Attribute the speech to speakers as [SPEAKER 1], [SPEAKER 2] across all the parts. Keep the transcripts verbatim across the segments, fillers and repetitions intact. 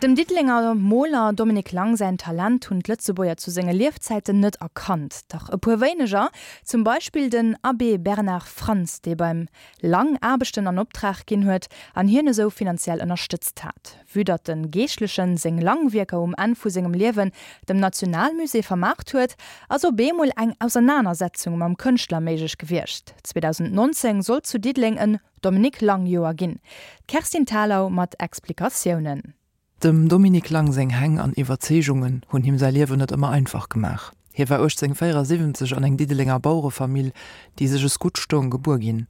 [SPEAKER 1] Dem Diddelenger Moler Dominique Lang säin Talent hunn d'Lëtzebuerger zu senge Liefzäiten net erkannt. Dach e puer wéineger, zum Beispill den Abbé Bernard Frantz, dee beim Lang Aarbechten an Optrag ginn huet an hien esou finanziell ënnerstëtzt hat. Vue datt de Geeschtlechen seng Lang-Wierker um Enn vu sengem Liewen dem Nationalmusée vermaart huet, ass op eemol eng Ausernanersetzung mam Kënschtler méiglech gewiescht. zweedausendnonzéng sollt zu Diddeleng en Dominique Lang-Joer ginn. D'Kerstin Thalau mat Explikatiounen.
[SPEAKER 2] Dem Dominique Lang seng Häng an Iwwerzeegungen hunn him säi Liewen net ëmmer einfach gemaach. Hie war uechtzénhunnertvéierasiwwenzeg an eng Diddelenger Bauerefamill, déi sech es gutt stoung, gebuer ginn.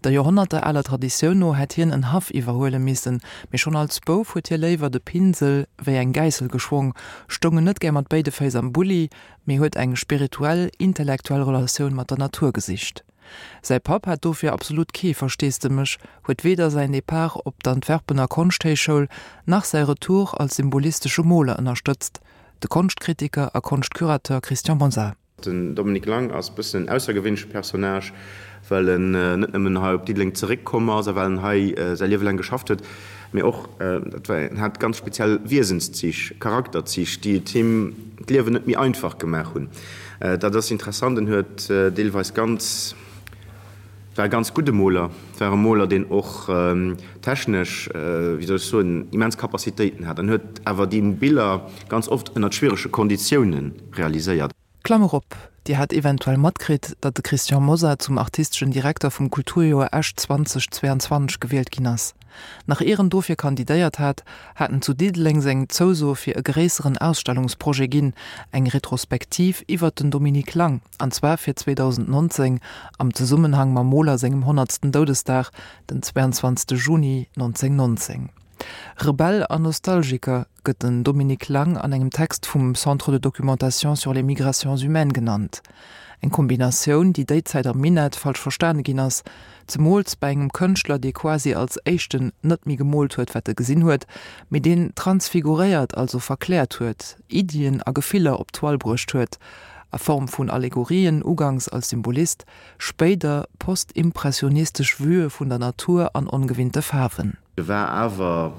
[SPEAKER 2] Der joerhonnertealer Traditioun no hätt hien en Haff iwwerhuele missen, mee schonn als Bouf huet hie léiwer de Pinsel wéi eng Gäissel geschwong, stoung en net gär mat béide Féiss am Bulli, mee huet eng spirituell, intellektuell Relatioun mat der Natur gesicht. Säi Papp hat dofir absolut kee Versteesdemech, huet weder säin Depart op d'Antwerpener Konschthéichschoul nach säi Retour als symbolistesche Moler ënnerstëtzt, de Konschtkritiker a Konschtcurateur Christian Mosar.
[SPEAKER 3] Den Dominique Lang ass bëssen en aussergewéinleche Personnage, well en net nëmmen hei op Diddeleng zeréckkomm ass a well en hei säi Liewe laang geschafft huet, mee och, dat war, en hat ganz speziell Wiesenszich, Charakterzich, déi et him d'Liewen net méi einfach gemaach hunn. Dat ass interessant, en huet deelweis ganz, war e ganz gudde Moler, war e Moler, deen och technesch, wéi soll ech soen, immens Capacitéiten hat an huet awer déi Biller ganz oft ënnert schwierege Konditioune realiséiert.
[SPEAKER 2] Klammer op, Dir hat eventuell matkritt, datt de Christian Mosar zum artisteschen Direkter vum Kulturjoer Esch zweedausendzweianzwanzeg gewielt ginn ass. Nach ier en dofir kandidéiert hat, hat en zu Diddeleng seng Zouso fir e gréisseren Ausstellungsprojet ginn, eng Retrospektiv iwwert den Dominique Lang, an zwar fir zweedausendnonzéng am Zesummenhang mam Moler sengem honnertsten Doudesdag, den zweiandzwanzegste Juni nonzénhunnertnonzéng. Rebell an Nostalgiker gëtt den Dominique Lang an engem Text vum Centre de documentation sur les migrations humaines genannt. Eng Kombinatioun, déi déi Zäit am Minett falsch verstane ginn ass, zemools bei engem Kënschtler, dee quasi als éischten net méi gemoolt huet, wat e gesinn huet, mee deen transfiguréiert, also verkläert huet, Iddien a Gefiller op d'Toile bruecht huet, a Form vun Allegorien, uganks als Symbolist, spéider postimpressionistesch Vuë vun der Natur an ongewinnte Faarwen.
[SPEAKER 3] E war awer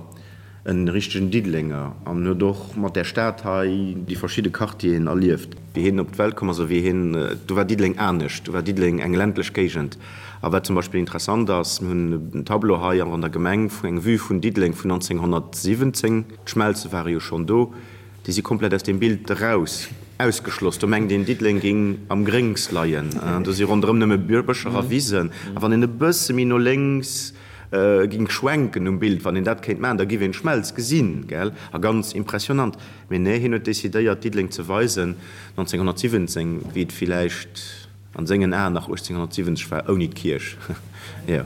[SPEAKER 3] e richtegen Diddelenger an huet och mat där Stad hei déi verschidde Quartieren erlieft. Wéi hien op d'Welt komm ass a wéi hien, do war Diddeleng anescht, do war Diddeleng eng ländlech Géigend. A wat zum Beispill interessant ass, mir hunn en Tableau hei an der Gemeng, eng Vue vun Diddeleng vun nonzénhunnertsiwwenzéng, d'Schmelze ware jo schonn do, déi si komplett aus deem Bild eraus, ausgeschloss. Do mengt een, Diddeleng géing am Gréngs leien, do si ronderëm nëmme Bëscher a Wisen. A wann een e bësse méi no lénks ging schwenken um Bild, wann een dat kéint maachen, da giff een d'Schmelz gesinn, gell? A ganz impressionant. Mee nee, hien huet decidéiert, Diddeleng ze weisen, nonzénhunnertsiwwenzéng, wéi et villäicht an sengen Aen nach uechtzénhunnertsiwwenzeg war, ouni d'Kierch. Jo.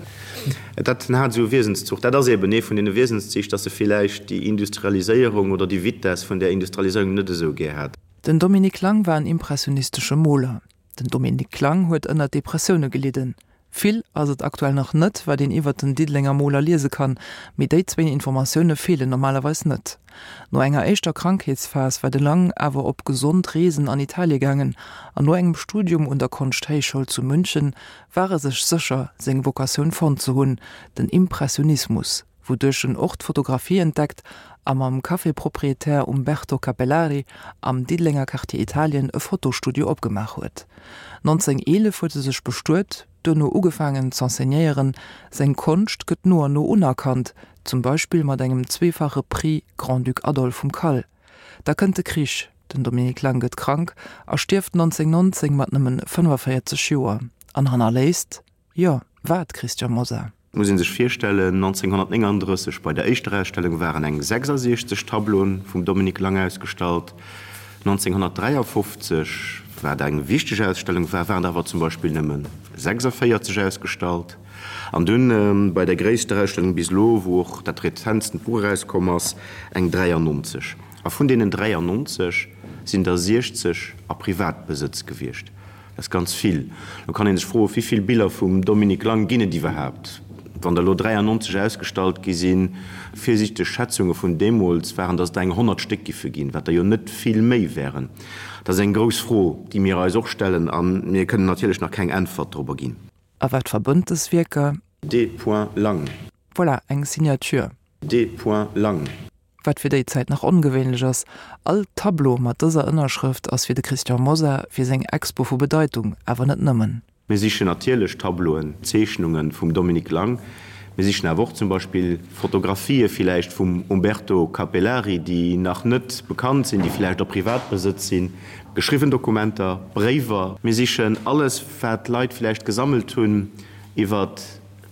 [SPEAKER 3] Dat, en hat esou e Wiesenszuch. Dat ass eben ee vun deene Wiesenszich, dass e villäicht déi Industrialiséierung oder déi Vitess vun där Industrialiséierung net esou gär hat.
[SPEAKER 2] Den Dominique Lang war en impressionistesche Moler. Den Dominique Lang huet ënner Depressioune gelidden. Vill ass et aktuell nach net, wat een iwwert den Diddelenger Moler liese kann, mee déi zwéin Informatioune feelen normalerweis net. No enger éischter Krankheetsphas war de Lang awer op gesond Reesen an Italie gaangen an no engem Studium un der Konschthéichschoul zu München war e sech sécher, seng Vocatioun fonnt ze hunn, den Impressionismus, wouduerch en och d'Fotografie entdeckt a mam Café-Proprietär Umberto Capellari am Diddelenger Quartier Italien e Fotostudio opgemaach huet. nonzénhunnerteelef huet e sech bestuet, duerno ugefaangen z'enseignéieren. Seng Konscht gëtt no an no unerkannt, zum Beispill mat engem zweefache Prix Grand-Duc Adolphe vum CAL. Da kënnt de Krich, den Dominique Lang gëtt krank a stierft nonzénhunnertnonzéng mat nëmmen fënnefaféierzeg Joer an hannerléisst, jo, wat, Christian Mosar?
[SPEAKER 3] Et muss ee sech virstellen, nonzénhunnertnénganddrësseg bei der éischter Ausstellung waren eng sechsasiechzeg Tableauen vum Dominique Lang ausgestallt, nonzénhunnertdräiafofzeg, wat eng wichteg Ausstellung war, waren der awer zum Beispill nëmme sechsavéierzeg ausgestallt. An dunn bei der gréisster Ausstellung bis elo, wou och dat rezentsten Buch erauskomm ass, eng dräiannonzeg. A vun deenen dräiannonzeg sinn der siechzeg a Privatbesëtz gewiescht. Dat ass ganz vill. Lo kann ee sech froen, Wéi vill Biller vum Dominique Lang ginn et iwwerhaapt? Wann der elo dräiannonzeg ausgestallt gi sinn, virsiichteg Schätzunge vun deemools waren, datt et der eng honnert Stéck giffe ginn, wat der jo net vill méi wären. Dat ass eng grouss Fro, déi mir eis och stellen, a mir kënnen natierlech nach keng Äntwert dorobber ginn.
[SPEAKER 2] A wat verbënnt dës Wierker?
[SPEAKER 3] D. Lang.
[SPEAKER 2] Voilà, eng Signature.
[SPEAKER 3] D. Lang.
[SPEAKER 2] wat fir déi Zäit nach ongewéinlech ass. All Tableau mat dëser Ënnerschrëft ass fir de Christian Mosar fir seng Expo vu Bedeitung, awer net nëmmen.
[SPEAKER 3] Mir sichen natierlech Tableauen, Zeechnunge vum Dominique Lang. Mir sichen awer och zum Beispill Fotografië villäicht vum Umberto Capellari, déi nach net bekannt sinn, déi villäicht a Privatbesëtz sinn, geschriwwen Dokumenter, Bréiwer. Mir sichen alles, wat Leit villäicht gesammelt hunn iwwer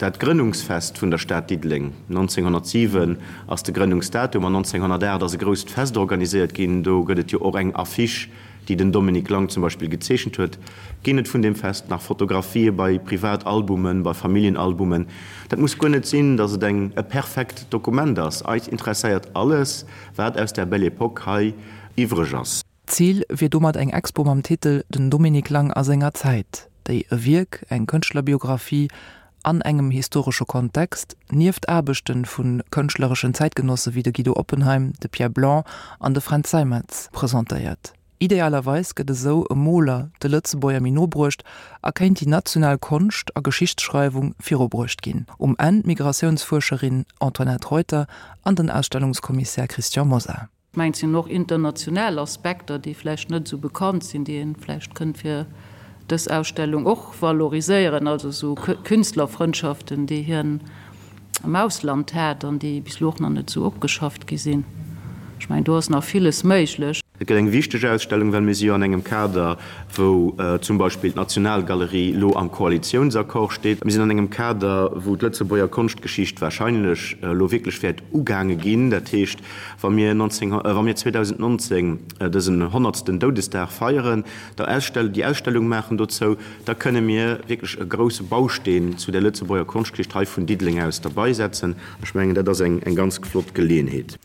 [SPEAKER 3] dat Grënnungsfest vun der Stad Diddeleng. nonzénghonnertsiwen ass de Grënnungsdatum an nonzénghonnertaacht ass e grousst Fest organiséiert ginn. Do gëtt et jo och eng Affiche, déi den Dominique Lang zum Beispill gezeechent huet. Ginn et vun deem Fest nach Fotografië bei Privatalbumen, bei Familljenalbumen? Dat muss guer net sinn, datt et eng e perfekt Dokument ass. Eis interesséiert alles, wat aus där Belle Époque hei iwwreg ass.
[SPEAKER 2] Zil wier domat eng Expo mam Titel Den Dominique Lang a senger Zäit, déi e Wierk, eng Kënschtlerbiographie an engem historesche Kontext, nieft Aarbechte vu kënschtlereschen Zäitgenosse wéi de Guido Oppenheim, de Pierre Blanc an de Fränz Seimetz presentéiert. Idealerweis gëtt esou e Moler de Lëtzebuerger méi no bruecht a kéint déi national Konscht a Geschichtsschreiwung virubruecht ginn. Um Enn d'Migratiounsfuerscherin Antoinette Reuter an den Ausstellungskommissär Christian Mosar.
[SPEAKER 4] Ech mengen, et sinn och international Aspekter, déi vläicht net esou bekannt sinn, déi ee vläicht kënnt fir dës Ausstellung och valoriséieren, also esou Künstlerfrëndschaften, déi hien am Ausland hat an déi bis elo och nach net esou opgeschafft gi sinn. Ech mengen, do ass nach villes méiglech.
[SPEAKER 3] Et gëtt eng wichteg Ausstellung, well mir si jo an engem Kader, wou zum Beispill d'Nationalgalerie elo am Koalitiounsaccord steet. Mir sinn an engem Kader, wou d'Lëtzebuerger Konschtgeschicht wahrscheinlech elo wierklech wäert ugaange ginn. Dat heescht, wa mir wa mir zweedausendnonzéng dësen honnertsten Doudesdag feieren, da Ausstell déi Ausstellung maachen dozou, da kënne mir wierklech e grousse Bausteen zu der Lëtzebuerger Konschtgeschicht hei vun Diddeleng aus derbaisetzen. Ech mengen, dat ass eng ganz flott Geleeënheet.